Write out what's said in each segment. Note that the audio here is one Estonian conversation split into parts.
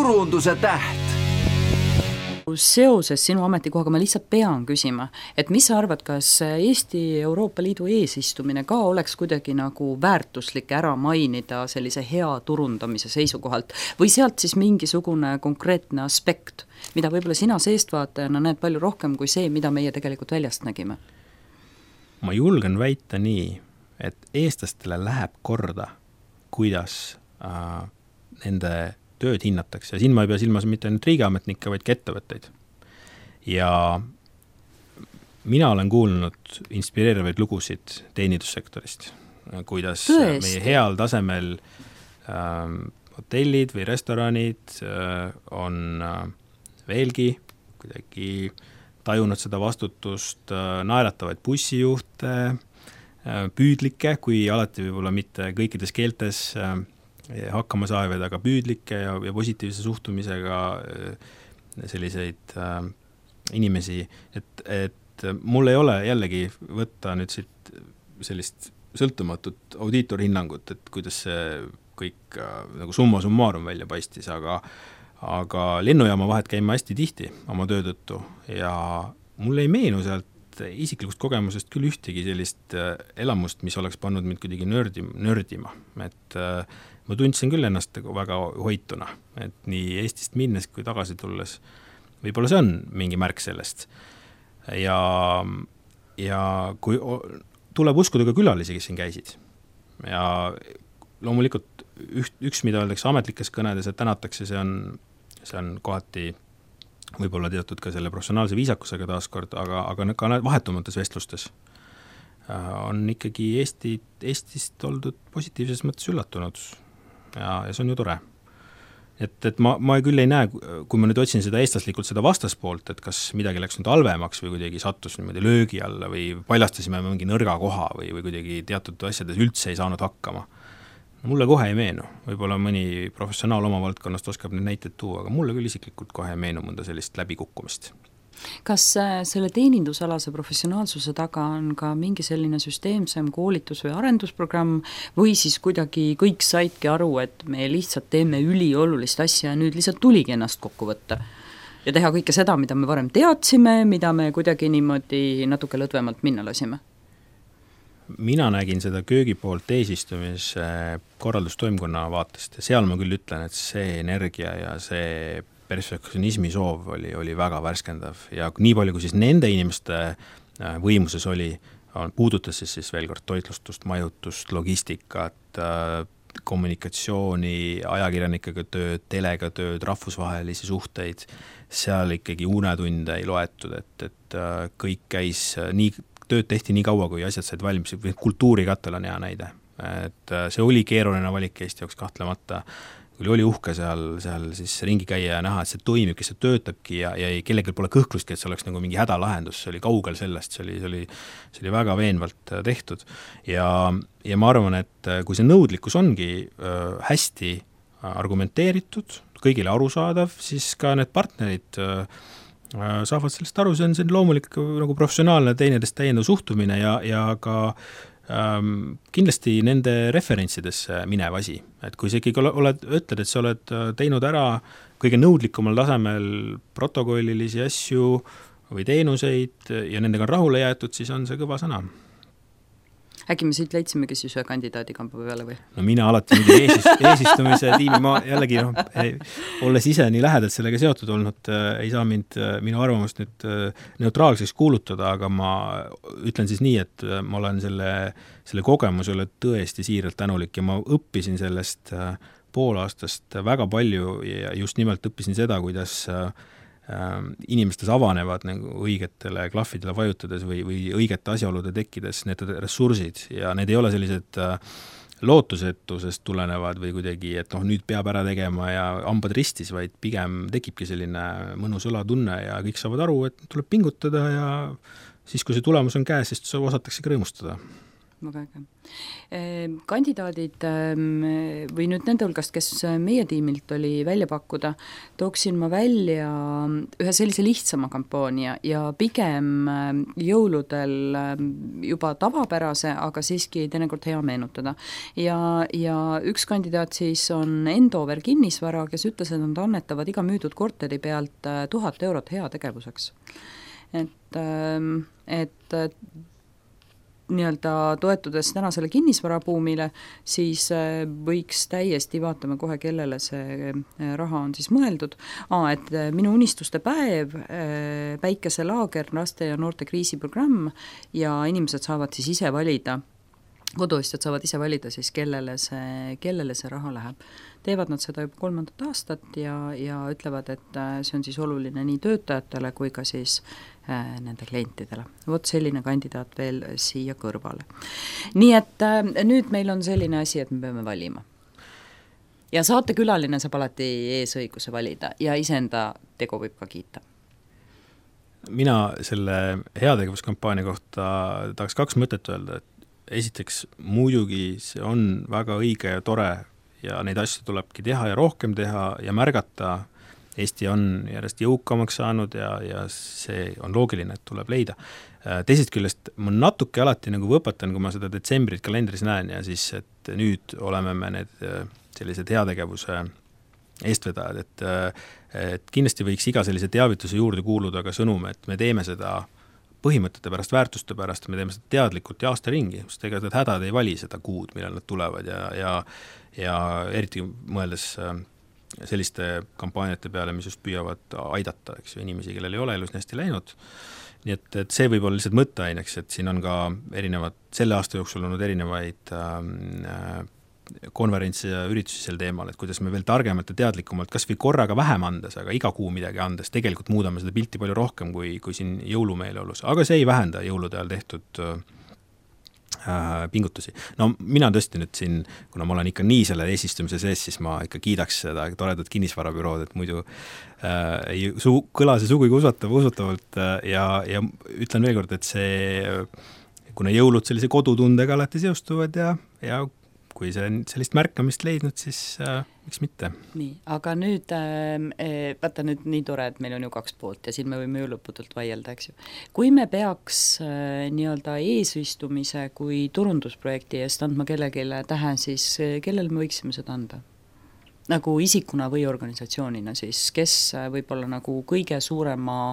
turunduse täht. Seoses sinu ametikohaga ma lihtsalt pean küsima, et mis sa arvad, kas Eesti Euroopa Liidu eesistumine ka oleks kuidagi nagu väärtuslik ära mainida sellise hea turundamise seisukohalt või sealt siis mingisugune konkreetne aspekt, mida võib-olla sina seestvaatajana näed palju rohkem kui see, mida meie tegelikult väljast nägime? Ma julgen väita nii, et eestlastele läheb korda, kuidas nende tööd hinnatakse. Ja siin ma ei pea silmas mitte ainult riigiametnikke, vaid ka ettevõtteid. Ja mina olen kuulnud inspireerivaid lugusid teenindussektorist, kuidas meie heal tasemel hotellid või restoranid on veelgi kuidagi tajunud seda vastutust, naeratavaid bussijuhte, püüdlikke, kui alati võib-olla mitte kõikides keeltes hakkama saavad, aga püüdlikke ja positiivse suhtumisega selliseid inimesi, et mul ei ole jällegi võtta nüüd siit sellist sõltumatut audiitorhinnangut, et kuidas see kõik nagu summa summarum välja paistis, aga lennujaama vahet käima hästi tihti oma töö tõttu ja mul ei meenu sealt isiklikust kogemusest küll ühtegi sellist elamust, mis oleks pannud mind kuidagi nördima, et ma tundsin küll ennast väga hoituna, et nii Eestist minnes kui tagasi tulles, võib-olla see on mingi märk sellest. Ja kui tuleb uskuda ka külalisi, kes siin käisid. Ja loomulikult üks, mida öeldakse ametlikes kõnedes, et tänatakse, see on kohati võib-olla teatud ka selle professionaalse viisakusega taaskord, aga ka vahetumates vestlustes on ikkagi Eestist oldud positiivses mõttes üllatunud. Ja see on ju tore. Et ma küll ei näe, kui ma nüüd otsin seda eestlaslikult seda vastaspoolt, et kas midagi läks nüüd halvemaks või kuidagi sattus niimoodi löögi alla või paljastasime mingi nõrga koha või kuidagi teatud asjades üldse ei saanud hakkama. Mulle kohe ei meenu. Võib-olla mõni professionaal oma valdkonnast oskab neid näiteid tuua, aga mulle küll isiklikult kohe ei meenu mõnda sellist läbikukkumist. Kas selle teenindusalase professionaalsuse taga on ka mingi selline süsteemsem koolitus- või arendusprogramm või siis kuidagi kõik saidki aru, et me lihtsalt teeme üliolulist asja ja nüüd lihtsalt tuligi ennast kokku võtta ja teha kõike seda, mida me varem teadsime, mida me kuidagi niimoodi natuke lõdvemalt minna lasime? Mina nägin seda köögi poolt eesistumise korraldustoimkonna vaatest ja seal ma küll ütlen, et see energia ja see perfektsionismi soov oli väga värskendav ja nii palju, kui siis nende inimeste võimuses oli, puudutas siis veel kord toitlustust, majutust, logistikat, kommunikatsiooni, ajakirjanikega tööd, telega tööd, rahvusvahelisi suhteid, seal ikkagi unetunde ei loetud, et kõik käis nii, tööd tehti nii kaua, kui asjad said valmis, kultuurikatel on hea näide, et see oli keeruline valik Eesti jaoks kahtlemata, kui oli uhke seal siis ringi käia ja näha, et see toimib, kes see töötabki ja kellelgi pole kõhklustki, et see oleks nagu mingi hädalahendus, see oli kaugel sellest, see oli väga veenvalt tehtud ja ma arvan, et kui see nõudlikkus ongi hästi argumenteeritud, kõigile arusaadav, siis ka need partnerid saavad sellest aru, see on loomulik nagu professionaalne teineteist täiendav suhtumine ja ka kindlasti nende referentsidesse minev asi, et kui sa ikkagi ütled, et sa oled teinud ära kõige nõudlikumal tasemel protokollilisi asju või teenuseid ja nendega on rahule jäetud, siis on see kõva sõna. Äkki me siit leidsimegi siis ühe kandidaadi kamba peale või? No mina alati eesistumise tiimi, ma jällegi olles ise nii lähedalt sellega seotud olnud, ei saa minu arvamust nüüd neutraalseks kuulutada, aga ma ütlen siis nii, et ma olen selle kogemusele tõesti siiralt tänulik ja ma õppisin sellest poolaastast väga palju ja just nimelt õppisin seda, kuidas inimestes avanevad nagu õigetele klahvidele vajutades või õigete asjaolude tekkides need ressursid ja need ei ole sellised lootusetusest tulenevad või kuidagi, et nüüd peab ära tegema ja hambad ristis, vaid pigem tekibki selline mõnus õlatunne ja kõik saavad aru, et tuleb pingutada ja siis, kui see tulemus on käes, siis osatakse rõõmustada. väga äge. Kandidaadid või nüüd nende hulgast, kes meie tiimilt oli välja pakkuda, tooksin ma välja ühe sellise lihtsama kampaania ja pigem jõuludel juba tavapärase, aga siiski teinekord hea meenutada. Ja üks kandidaat siis on Endover kinnisvara, kes ütles, et nad annetavad iga müüdud korteri pealt 1000 eurot heategevuseks. Et nii-öelda toetudes tänasele kinnisvarabuumile, siis võiks täiesti, vaatame kohe, kellele see raha on siis mõeldud. Et minu unistuste päev, päikeselaager, laste ja noorte kriisiprogramm ja inimesed saavad siis ise valida, koduistjad saavad ise valida siis, kellele see raha läheb. Teevad nad seda juba 3. aastat ja ütlevad, et see on siis oluline nii töötajatele kui ka siis nende klientidele. Vot selline kandidaat veel siia kõrvale. Nii et nüüd meil on selline asi, et me peame valima. Ja saatekülaline saab alati eesõiguse valida ja iseenda tegu võib ka kiita. Mina selle heategevuskampaania kohta tahaks 2 mõtet öelda, et esiteks muidugi see on väga õige ja tore ja neid asju tulebki teha ja rohkem teha ja märgata. Eesti on järjest jõukamaks saanud ja see on loogiline, et tuleb leida. Teisest küljest ma natuke alati nagu võpatan, kui ma seda detsembrit kalendris näen ja siis, et nüüd oleme me need sellised heategevuse eestvedajad, et kindlasti võiks iga sellise teavituse juurde kuuluda ka sõnum, et me teeme seda põhimõtete pärast, väärtuste pärast, me teeme seda teadlikult ja aasta ringi, sest ega need hädad ei vali seda kuud, millal nad tulevad ja eriti mõeldes selliste kampaaniate peale, mis just püüavad aidata, eks ju, inimesi, kellel ei ole elus nii hästi läinud. Nii et see võib olla lihtsalt mõtteaineks, et siin on ka selle aasta jooksul olnud erinevaid konverentsi ja üritusi sel teemal, et kuidas me veel targemalt ja teadlikumalt kas või korraga vähem andes, aga iga kuu midagi andes, tegelikult muudame seda pilti palju rohkem kui siin jõulumeeleolus. Aga see ei vähenda jõulude ajal tehtud pingutusi. No mina tõesti nüüd siin, kuna ma olen ikka nii selle eesistumise sees, siis ma ikka kiidaks seda toredat kinnisvarabürood, et muidu kõla see sugugi usutavalt ja ütlen veel kord, et kuna jõulud sellise kodutundega alati seostuvad ja kui see on sellist märkamist leidnud, siis miks mitte? Nii, aga nüüd, vaata nüüd nii tore, et meil on ju 2 poolt ja siin me võime ju lõputult vaielda, eks ju. Kui me peaks nii-öelda eesistumise kui turundusprojekti eest andma kellegile tähe, siis kellele me võiksime seda anda? Nagu isikuna või organisatsioonina siis, kes võib-olla nagu kõige suurema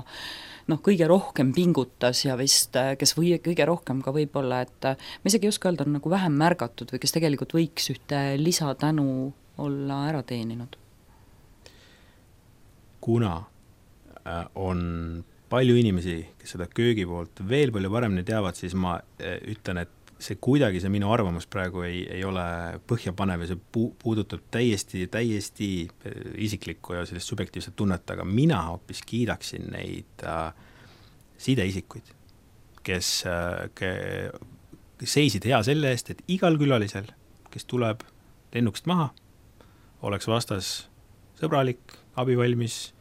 kõige rohkem pingutas ja vist, kes kõige rohkem ka võib-olla, et ma isegi ei oska öelda, on nagu vähem märgatud või kes tegelikult võiks ühte lisatänu olla ära teeninud? Kuna on palju inimesi, kes seda köögi poolt veel palju paremini teavad, siis ma ütlen, et see kuidagi see minu arvamus praegu ei ole põhjapanev ja see puudutab täiesti isiklikku ja sellist subjektiivset tunnet, aga mina hoopis kiidaksin neid sideisikuid, kes seisid hea selle eest, et igal külalisel, kes tuleb lennukist maha, oleks vastas sõbralik, abivalmis,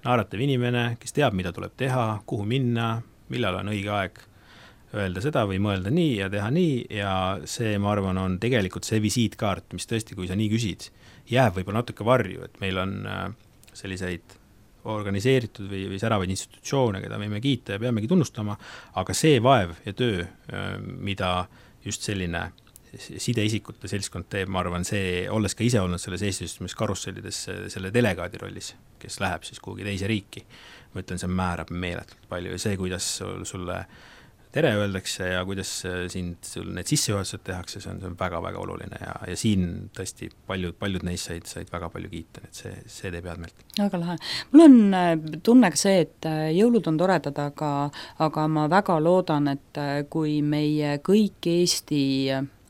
naeratav inimene, kes teab, mida tuleb teha, kuhu minna, millal on õige aeg öelda seda või mõelda nii ja teha nii ja see, ma arvan, on tegelikult see visiitkaart, mis tõesti, kui sa nii küsid, jääb võib-olla natuke varju, et meil on selliseid organiseeritud või säravaid institutsioone, keda võime kiita ja peamegi tunnustama, aga see vaev ja töö, mida just selline sideisikute seltskond teeb, ma arvan, see, olles ka ise olnud selles eestistumis karussellides selle delegaadi rollis, kes läheb siis kuhugi teise riiki, ma ütlen, see määrab meeletult palju ja see, kuidas sulle tere öeldakse ja kuidas sul need sissejuhatused tehakse, see on väga-väga oluline ja siin tõesti paljud neist said väga palju kiita, et see teeb head meelt. Väga lahe. Mul on tunne ka see, et jõulud on toredad, aga ma väga loodan, et kui meie kõik Eesti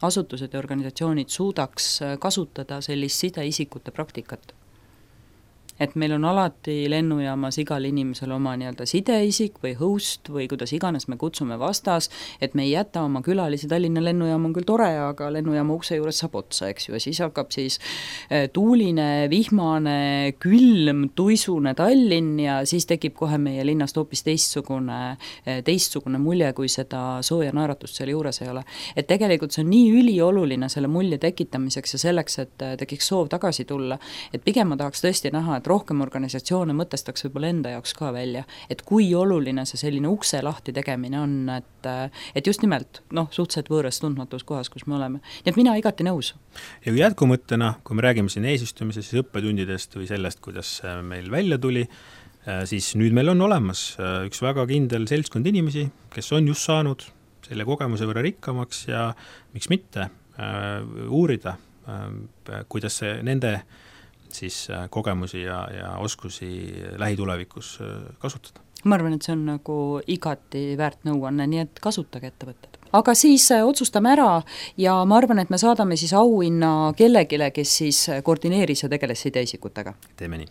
asutused ja organisatsioonid suudaks kasutada sellist sideisikute praktikat, et meil on alati lennujaamas igal inimesel oma nii-öelda sideisik või host või kuidas iganes me kutsume vastas, et me ei jäta oma külalisi, Tallinna lennujaam on küll tore, aga lennujaama ukse juures saab otsa, eks ju, ja siis hakkab siis tuuline, vihmane, külm, tuisune Tallinn ja siis tekib kohe meie linnast hoopis teistsugune mulje, kui seda sooja naeratust seal juures ei ole. Et tegelikult see on nii ülioluline selle mulje tekitamiseks ja selleks, et tekiks soov tagasi tulla, et pigem ma tahaks tõesti näha, et rohkem organisatsioone mõtestaks võib-olla enda jaoks ka välja, et kui oluline see selline ukse lahti tegemine on, et just nimelt, suhteliselt võõras tundmatus kohas, kus me oleme. Nii et mina igati nõus. Ja kui jätkumõttena, kui me räägime siin eesistumise, siis õppetundidest või sellest, kuidas meil välja tuli, siis nüüd meil on olemas üks väga kindel seltskond inimesi, kes on just saanud selle kogemuse võrra rikkamaks ja miks mitte uurida, kuidas see nende siis kogemusi ja oskusi lähitulevikus kasutada. Ma arvan, et see on nagu igati väärt nõuanne, nii et kasutage ettevõtted. Aga siis otsustame ära ja ma arvan, et me saadame siis auhinna kellegile, kes siis koordineeris ja tegeles sideisikutega. Teeme nii.